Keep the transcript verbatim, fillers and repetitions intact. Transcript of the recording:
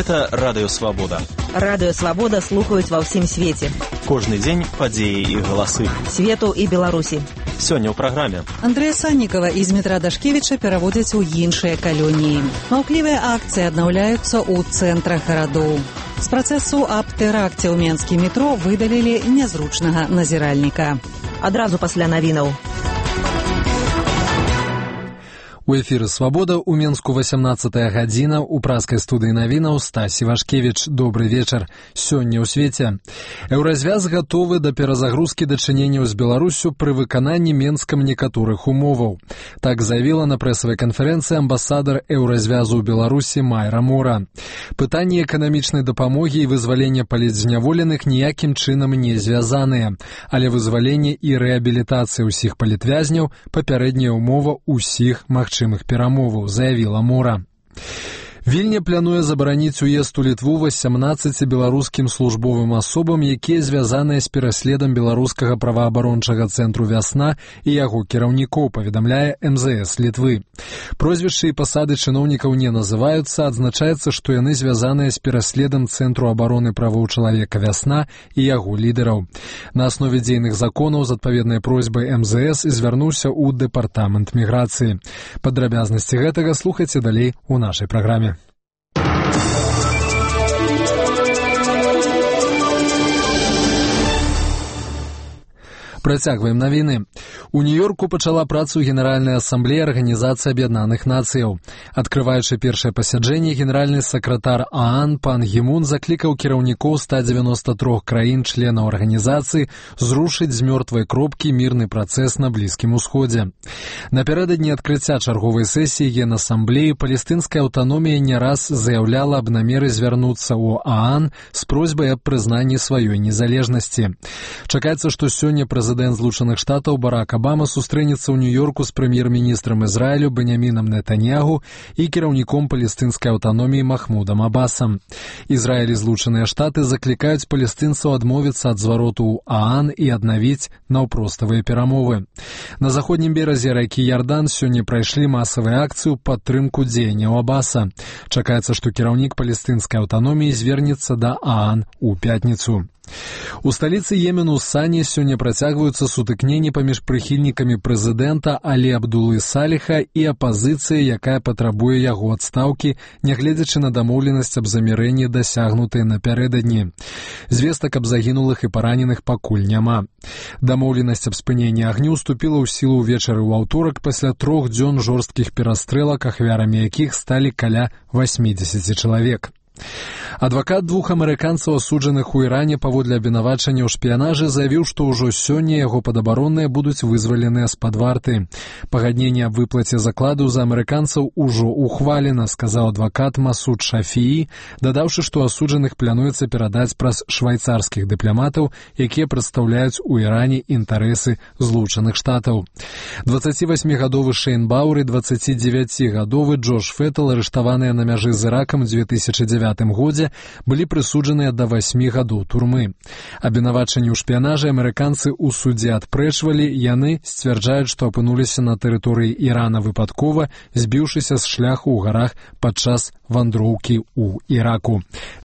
Гэта Радыё Свабода. Радыё Свабода слухаюць ва ўсім свеце. Кожны дзень падзеі і галасы. Свету і Беларусі. Сёння ў праграме. Андрэя Саннікава і Змітра Дашкевіча пераводзяць у іншыя калоніі. Маўклівыя акцыі аднаўляюцца ў цэнтрах гарадоў. З працэсу аб тэракце ў Менскім метро выдалілі нязручнага назіральніка. Адразу пасля навінаў. У эфіры «Свабода» у Менску васямнаццатая гадзіна, у праскай студыі навінаў Стась Івашкевіч. Добры вечар. Сёння ў свеце. Еўразвяз гатовы да перазагрузкі дачыненняў з Беларусю пры выкананні Менскам некаторых умоваў. Так заявіла на прэсавай канферэнцыі амбасадар Еўразвязу ў Беларусі Майра Мора. Пытанні эканамічнай дапамогі і вызвалення палітзняволеных ніякім чынам не звязаныя, але вызваленне і рэабілітацыя ўсіх палітвязняў – папярэдняя ўмова ўсіх магчымых перамоваў, заявіла Мора. Вільня плануе забараніць уезд у Літву васямнаццаці беларускім службовым асобам, якія звязаныя з пераследам беларускага праваабарончага цэнтру «Вясна» і яго кіраўнікоў, паведамляе эм зэ эс Літвы. Прозвішчы і пасады чыноўнікаў не называюцца, адзначаецца, што яны звязаныя з пераследам Цэнтру абароны правоў чалавека «Вясна» і яго лідараў. На аснове дзейных законаў з адпаведнай просьбай эм зэ эс звярнуўся ў дэпартамент міграцыі. Падрабязнасці гэтага слухайце далей у нашай праграме. Працягваем навіны. У Нью-Йорку пачала працу Генеральная асамблея Арганізацыі Аб'яднаных Нацыяў. Адкрываючы першае пасяджэнне, генеральны сакратар ААН пан Гі Мун заклікаў кіраўнікоў ста дзевяноста трох краін-членаў арганізацыі зрушыць з мёртвай кропкі мірны працэс на Блізкім Усходзе. Напярэдадні адкрыцця чарговай сесіі Генасамблеі палестынская аўтаномія не раз заяўляла аб намеры звярнуцца ў ААН з просьбай аб прызнанні сваёй незалежнасці. Чакаецца, што сёння прэзідэнт Прэзідэнт Злучаных Штатаў Барак Абама сустрэнецца ў Нью-Йорку з прэм'ер-міністрам Ізраілю Бенямінам Нетаньягу і кіраўніком палестынскай аўтаноміі Махмудам Абасам. Ізраіль і Злучаныя Штаты заклікаюць палестынцаў адмовіцца ад звароту ў ААН і аднавіць наўпроставыя перамовы. На заходнім беразе ракі Ярдан сёння прайшлі масавыя акцыі ў падтрымку дзеянняў Абаса. Чакаецца, што кіраўнік палестынскай аўтаноміі звернецца да ААН у пятніцу. У сталіцы Йемену Сані сёння працягваюцца сутыкненні паміж прыхільнікамі прэзідэнта Алі Абдулы Саліха і апазіцыяй, якая патрабуе яго адстаўкі, нягледзячы на дамоўленасць аб замірэнні, дасягнутыя напярэдадні. Звестак аб загінулых і параненых пакуль няма. Дамоўленасць аб спыненні агню ўступіла ў сілу ўвечары ў аўторак пасля трох дзён жорсткіх перастрэлак, ахвярамі якіх сталі каля васьмідзесяці чалавек. Адвакат двух амерыканцаў, асуджаных у Іране паводле абвінавачання ў шпіянажы, заявіў, што ўжо сёння яго падабаронныя будуць вызваленыя з-пад варты. Пагадненне аб выплаце закладу за амерыканцаў ужо ухвалена, сказаў адвакат Масуд Шафіі, дадаўшы, што асуджаных плануецца перадаць праз швайцарскіх дыпламатаў, якія прадстаўляюць у Іране інтарэсы Злучаных Штатаў. дваццацівасьмігадовы Шэйн Бауэр і дваццацідзевяцігадовы Джош Феттл, арыштаваныя на мяжы з Іракам у дзве тысячы дзевятым годзе, былі прысуджаныя да васьмі гадоў турмы. Абвінавачанні ў шпіянажы амерыканцы ў судзе адпрэчвалі, яны сцвярджаюць, што апынуліся на тэрыторыі Ірана выпадкова, збіўшыся з шляху ў гарах падчас вандроўкі ў Іраку.